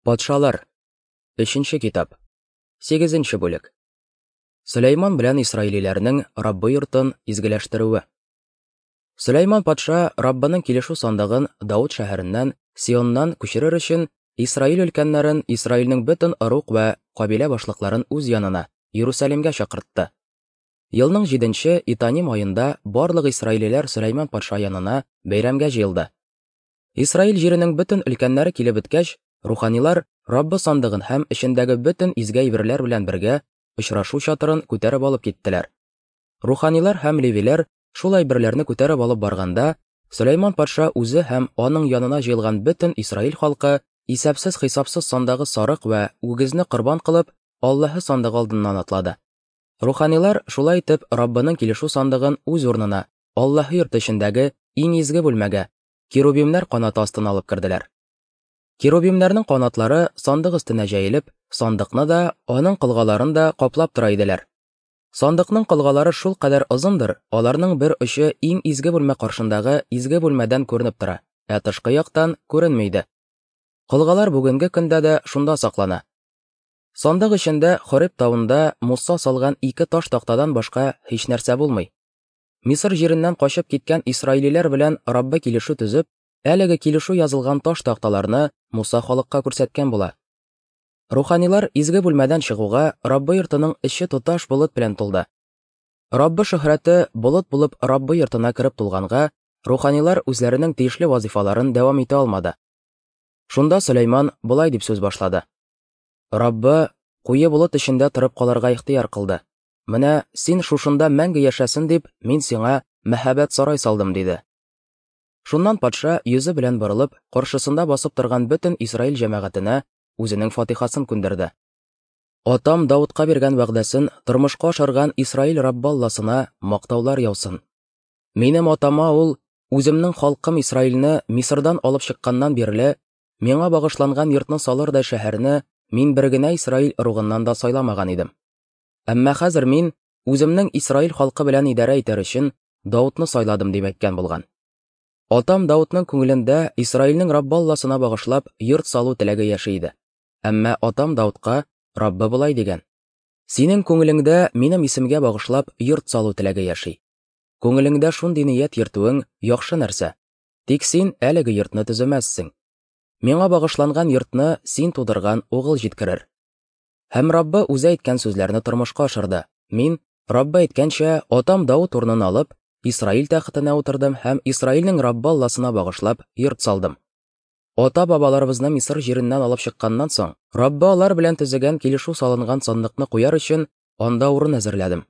Патшалар. Өченче китап. Сигезенче бүлек. Сөләйман белән исраилиләрнең Раббы йортын изгеләштерүе. Сөләйман патша Раббының килешү сандыгын Давыт шәһәреннән, Сионнан күчерер өчен Исраил өлкәннәрен, Исраилнең бөтен ыруг вә кабилә башлыкларын үз янына, Иерусалимгә чакыртты. Елның җиденче Итаним аенда барлык исраилиләр Сөләйман патша янына бәйрәмгә җыелды. Исраил җиренең бөтен өлкәннәре килеп беткәч, руханилар Раббы сандыгын һәм эчендәге бөтен изге әйберләр белән бергә очрашу чатырын күтәреп алып киттеләр. Руханилар һәм левиләр шул әйберләрне күтәреп алып барганда, Сөләйман патша үзе һәм аның янына җыелган бөтен Исраил халкы исәпсез-хисапсыз сандагы сарык вә үгезне корбан кылып, Аллаһы сандыгы алдыннан атлады. Руханилар шулай итеп Раббының килешү сандыгын үз урынына, Аллаһы йорты эчендәге иң изге бүлмәгә, керубимнәр канаты астына алып керделәр. Керубимнәрнең канатлары сандык өстенә җәелеп, сандыкны да, аның колгаларын да каплап тора иделәр. Сандыкның колгалары шул кадәр озындыр, аларның бер очы иң изге бүлмә каршындагы изге бүлмәдән күренеп тора, ә тышкы яктан күренми иде. Колгалар бүгенге көндә дә шунда саклана. Сандык эчендә Хореб тавында Муса салган ике таш тактадан башка һичнәрсә булмый. Мисыр җиреннән качып киткән исраилиләр белән Раббы килешү төзеп, әлеге килешү язылган таш такталарны Муса халыкка күрсәткән була. Руханилар изге бүлмәдән чыгуга, Раббы йортының эче тоташ болыт белән тулды. Раббы шөһрәте болыт булып Раббы йортына кереп тулганга, руханилар үзләренең тиешле вазифаларын дәвам итә алмады. Шунда Сөләйман болай дип сүз башлады. Раббы куе болыт эчендә торып калырга ихтыяр кылды. Менә син шушында мәңге яшәсен дип, мин сиңа мәһабәт сарай салдым, диде. Шуннан патша йөзе белән борылып, каршысында басып торган бөтен Исраил җәмәгатенә үзенең фатихасын күндерде. Атам Давытка биргән вәгъдәсен тормышка ашырган Исраил Раббы Алласына мактаулар яусын. Минем атама ул үземнең халкым Исраилне Мисырдан алып чыкканнан бирле миңа багышланган йортны салырдай шәһәрне мин бер генә Исраил ыругыннан да сайламаган идем. Әмма хәзер мин үземнең Исраил халкы белән идарә итәр өчен Даутны сайладым дип әйткән булган. Атам Даутның күңелендә Исраилнең Раббы Алласына багышлап йорт салу теләге яши иде. Әмма атам Даутка Раббы болай дигән: Синең күңелеңдә минем исемгә багышлап йорт салу теләге яши. Күңелеңдә шундый ният йөртүең яхшы нәрсә. Тик син әлеге йортны төземәссең. Миңа багышланган йортны син тудырган угыл җиткерер. Һәм Раббы үзе әйткән сүзләрне тормышка ашырды. Мин, Раббы әйткәнчә, атам Давыт урынын алып, Исраил тәхетенә утырдым һәм Исраилнең Раббы Алласына багышлап йорт салдым. Ата-бабаларыбызны Мисыр җиреннән алып чыкканнан соң, Раббы алар белән төзегән килешү салынган сандыкны куяр өчен анда урын әзерләдем.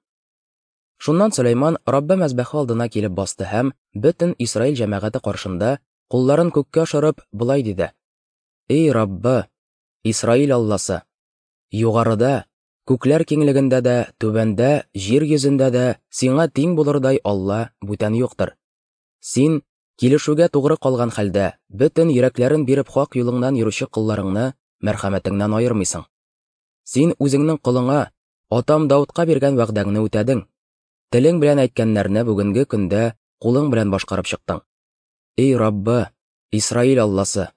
Шуннан Сөләйман Раббы мәзбәхе алдына килеп басты һәм бөтен Исраил җәмәгате каршында кулларын күккә ашырып болай диде: Эй Раббы, Исраил Алласы, югарыда, күкләр киңлегендә дә, түбәндә, җир йөзендә дә сиңа тиң булырдай Алла бүтән юктыр. Син, килешүгә тугры калган хәлдә, бөтен йөрәкләрен биреп хак юлыңнан йөрүче колларыңны мәрхәмәтеңнән аермыйсың. Син үзеңнең колыңа, атам Даутка биргән вәгъдәңне үтәдең. Телең белән әйткәннәрне бүгенге көндә кулың белән башкарып чыктың. Эй Раббы, Исраил Алласы,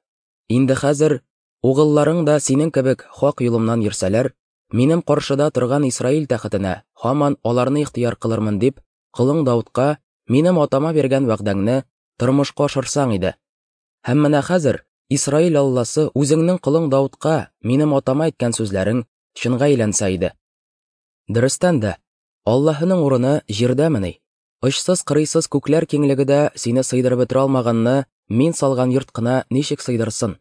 инде хәзер угылларың да синең кебек хак юлымнан йөрсәләр, минем каршыда торган Исраил тәхетенә һаман аларны ихтыяр кылырмын дип, колың Даутка минем атама биргән вәгъдәңне тормышка ашырсаң иде. Һәм менә хәзер Исраил Алласы үзеңнең колың Даутка минем атама әйткән сүзләрең чынга әйләнсә иде. Дөрестән дә, Аллаһының урыны җирдәмени? Очсыз-кырыйсыз күкләр киңлеге дә сине сыйдырып бетерә алмаганны мин салган йорт кына ничек сыйдырсын?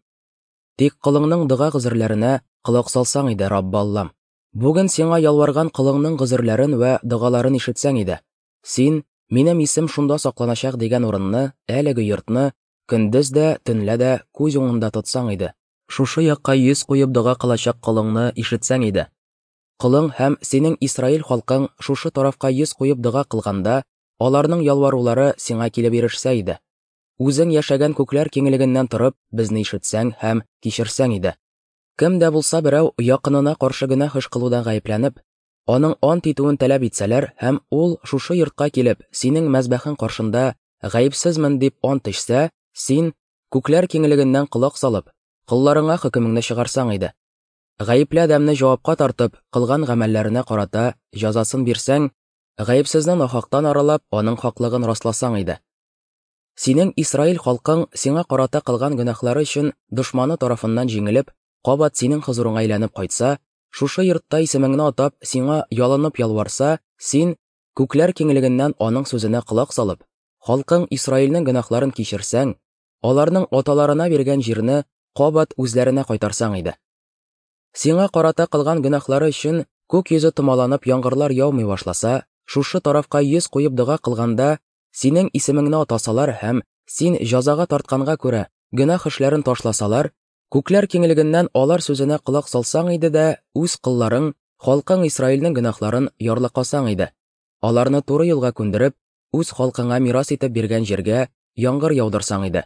Тик колыңның дога гозерләренә колак салсаң иде, Раббы Аллам. Бүген сиңа ялварган колыңның гозерләрен вә догаларын ишетсәң иде. Син, минем исем шунда сакланачак дигән урынны, әлеге йортны көндез дә, төнлә дә күз уңында тотсаң иде. Шушы якка йөз куеп дога кылачак колыңны ишетсәң иде. Колың һәм синең Исраил халкың шушы тарафка йөз куеп дога кылганда, аларның ялварулары сиңа килеп ирешсә иде. Үзең яшәгән күкләр киңлегеннән торып, безне ишетсәң һәм кичерсәң иде. Кем дә булса берәү якынына каршы гөнаһ эш кылудан гаепләнеп, аның ант итүен таләп итсәләр һәм ул шушы йортка килеп, синең мәзбәхең каршында гаепсезмен дип ант эчсә, син, күкләр киңлегеннән колак салып, колларыңа хөкемеңне чыгарсаң иде. Гаепле адәмне җавапка тартып, кылган гамәлләренә карата җәзасын бирсәң, гаепсезне нахактан аралап, аның хаклыгын расласаң иде. Синең Исраил халкың сиңа карата кылган гөнаһлары өчен дошманы тарафыннан җиңелеп, кабат синең хозурыңа әйләнеп кайтса, шушы йортта исемеңне атап, сиңа ялынып ялварса, син, күкләр киңлегеннән аның сүзенә колак салып, халкың Исраилнең гөнаһларын кичерсәң, аларның аталарына биргән җирне кабат үзләренә кайтарсаң иде. Сиңа карата кылган гөнаһлары өчен күк йөзе томаланып яңгырлар яумый башласа, шушы тарафка йөз куеп дога кылганда, синең исемеңне атасалар һәм син җәзага тартканга күрә гөнаһ эшләрен ташласалар, күкләр киңлегеннән алар сүзенә колак салсаң иде дә, үз колларың, халкың Исраилнең гөнаһларын ярлыкасаң иде. Аларны туры юлга күндереп, үз халкыңа мирас итеп биргән җиргә яңгыр яудырсаң иде.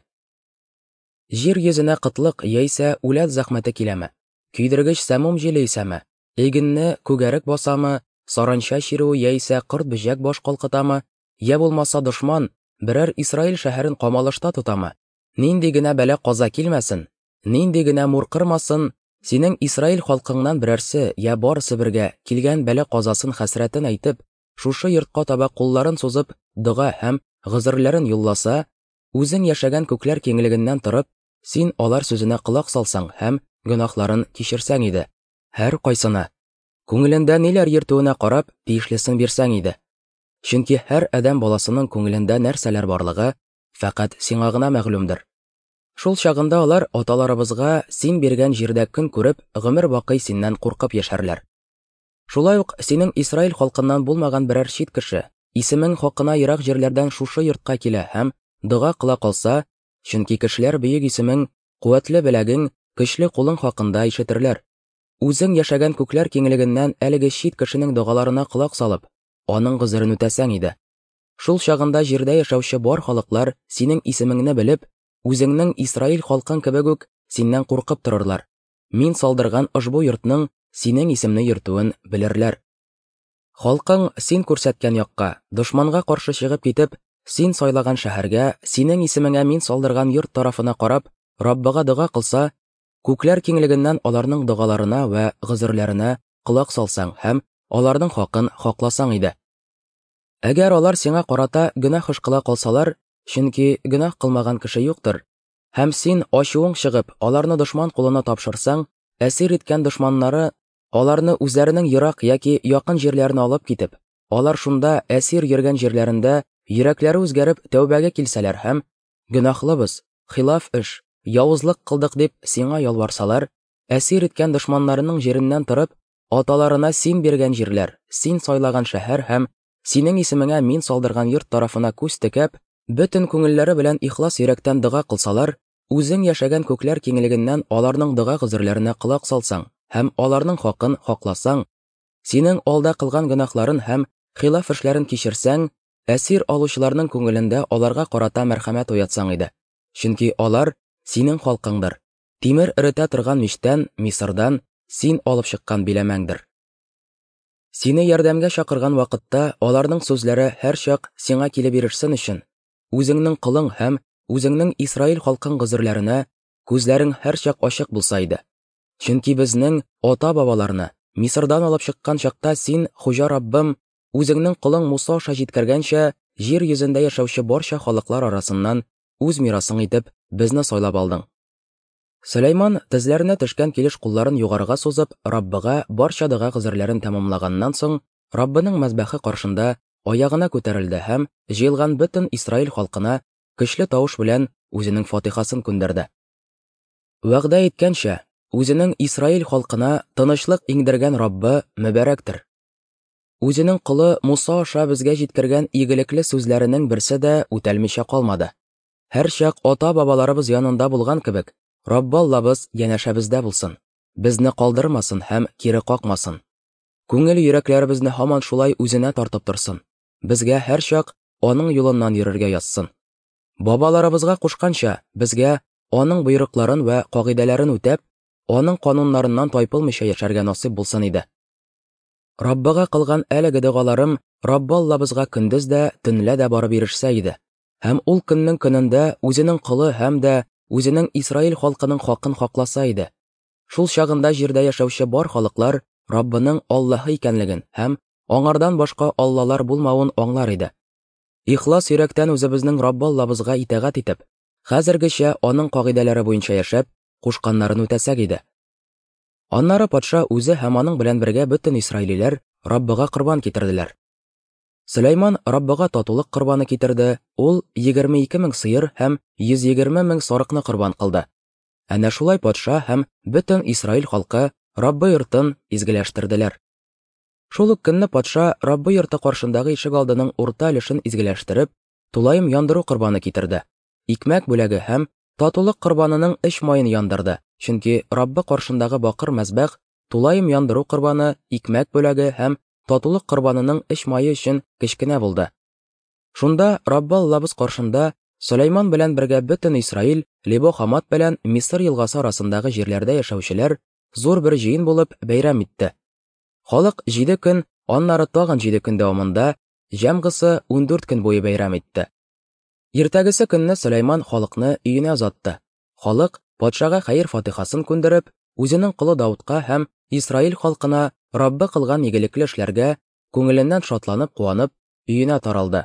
Җир йөзенә кытлык яисә үләт зәхмәте киләме? Көйдергеч сәмум җиле исәме? Игенне күгәрек басамы, саранча чирүе яисә корт-бөҗәк баш калкытамы, я булмаса дошман берәр Исраил шәһәрен камалышта тотамы? Нинди генә бәла-каза килмәсен, нинди генә мур кырмасын, синең Исраил халкыңнан берәрсе я барысы бергә килгән бәла-казасын хәсрәтен әйтеп, шушы йортка таба кулларын сузып дога һәм гозерләрен юлласа, үзең яшәгән күкләр киңлегеннән торып, син алар сүзенә колак салсаң һәм гөнаһларын кичерсәң иде. Һәр кайсына, күңелендә ниләр йөртүенә карап, тиешлесен бирсәң иде. Чөнки һәр адәм баласының күңелендә нәрсәләр барлыгы фәкать сиңа гына мәгълүмдер. Шул чагында алар аталарыбызга син биргән җирдә көн күреп, гомер бакый синнән куркып яшәрләр. Шулай ук синең Исраил халкыннан булмаган берәр чит кеше, исемең хакына ерак җирләрдән шушы йортка килә һәм дога кыла калса, чөнки кешеләр бөек исемең, куәтле беләгең, көчле кулың хакында ишетерләр. Үзең яшәгән күкләр киңлегеннән әлеге чит кешенең догаларына колак салып, аның гозерен үтәсәң иде. Шул чагында җирдә яшәүче бар халыклар синең исемеңне белеп, үзеңнең Исраил халкың кебек үк синнән куркып торырлар. Мин салдырган ошбу йортның синең исемне йөртүен белерләр. Халкың син күрсәткән якка, дошманга каршы чыгып китеп, син сайлаган шәһәргә, синең исемеңә мин салдырган йорт тарафына карап, Раббыга дога кылса, күкләр киңлегеннән аларның догаларына вә гозерләренә колак салсаң һәм аларның хакын хакласаң иде. Әгәр алар сиңа карата гөнаһ эш кыла калсалар, чөнки гөнаһ кылмаган кеше юктыр, һәм син ачуың чыгып, аларны дошман кулына тапшырсаң, әсир иткән дошманнары аларны үзләренең ерак яки якын җирләренә алып китеп, алар шунда әсир йөргән җирләрендә йөрәкләре үзгәреп тәүбәгә килсәләр һәм гөнаһлыбыз, хилаф эш, явызлык кылдык дип сиңа ялварсалар, әсир иткән дошманнарының җиреннән торып, аталарына син биргән җирләр, син сайлаган шәһәр һәм синең исемеңә мин салдырган йорт тарафына күз текәп, бөтен күңелләре белән ихлас йөрәктән дога кылсалар, үзең яшәгән күкләр киңлегеннән аларның дога гозерләренә колак салсаң һәм аларның хакын хакласаң, синең алда кылган гөнаһларын һәм хилаф эшләрен кичерсәң, әсир алучыларның күңелендә аларга карата мәрхәмәт уятсаң иде. Чөнки алар синең халкыңдыр. Тимер эретә торган мичтән, Мисырдан син алып чыккан биләмәңдер. Сине ярдәмгә чакырган вакытта аларның сүзләре һәрчак сиңа килеп ирешсен өчен, үзеңнең колың һәм үзеңнең Исраил халкың гозерләренә күзләрең һәрчак ачык булса иде. Чөнки безнең ата-бабаларны Мисырдан алып чыккан чакта син, Хуҗа Раббым, үзеңнең колың Муса аша җиткергәнчә, җир йөзендә яшәүче барча халыклар арасыннан үз мирасың итеп безне сайлап алдың. Сөләйман тезләренә төшкән килеш кулларын югарыга сузып, Раббыга барча дога гозерләрен тәмамлаганнан соң, Раббының мәзбәхе каршында аягына күтәрелде һәм җыелган бөтен Исраил халкына көчле тавыш белән үзенең фатихасын күндерде. Вәгъдә иткәнчә, үзенең Исраил халкына тынычлык иңдергән Раббы мөбарәктер. Үзенең колы Муса аша безгә җиткергән игелекле сүзләренең берсе дә үтәлмичә калмады. Һәрчак ата-бабаларыбыз янында булган кебек, Раббы Аллабыз янәшәбездә булсын, безне калдырмасын һәм кире какмасын. Күңел йөрәкләребезне һаман шулай үзенә тартып торсын, безгә һәрчак аның юлыннан йөрергә язсын. Бабаларыбызга кушканча, безгә аның боерыкларын вә кагыйдәләрен үтәп, аның кануннарыннан тайпылмыйча яшәргә насыйп булсын иде. Раббыга кылган әлеге догаларым Раббы Аллабызга көндез дә, төнлә дә барып ирешсә иде. Һәм ул көннең көнендә үзенең колы һәм дә үзенең Исраил халкының хакын хакласа иде. Шул чагында җирдә яшәүче бар халыклар Раббының Аллаһы икәнлеген һәм аңардан башка аллалар булмавын аңлар иде. Ихлас йөрәктән үзебезнең Раббы Аллабызга итагать итеп, хәзергечә аның кагыйдәләре буенча яшәп, кушканнарын үтәсәк иде. Аннары патша үзе һәм аның белән бергә бөтен исраилиләр Раббыга корбан китерделәр. Сөләйман Раббыга татулык корбаны китерде, ул 22 мең сыер һәм 120 мең сарыкны корбан кылды. Әнә шулай патша һәм бөтен Исраил халкы Раббы йортын изгеләштерделәр. Шул ук көнне патша Раббы йорты каршындагы ишек алдының урта өлешен изгеләштереп, тулаем яндыру корбаны китерде. Икмәк бүләге һәм татулык корбанының эч маен яндырды, чөнки Раббы каршындагы бакыр мәзбәх тулаем яндыру корбаны, икмәк бүләге һәм татулык корбанының эч мае өчен кечкенә булды. Шунда Раббы Аллабыз каршында Сөләйман белән бергә бөтен Исраил, Лебо Хамат белән Мисыр елгасы арасындагы җирләрдә яшәүчеләр зур бер җыен булып бәйрәм итте. Халык җиде көн, аннары тагын җиде көн дәвамында, җәмгысы 14 көн буе бәйрәм итте. Иртәгесе көнне Сөләйман халыкны өенә озатты. Халык, патшага хәер-фатихасын күндереп, үзенең колы Даудка һәм Исраил халкына Раббы кылган игелекле эшләргә күңеленнән шатланып-куанып, өенә таралды.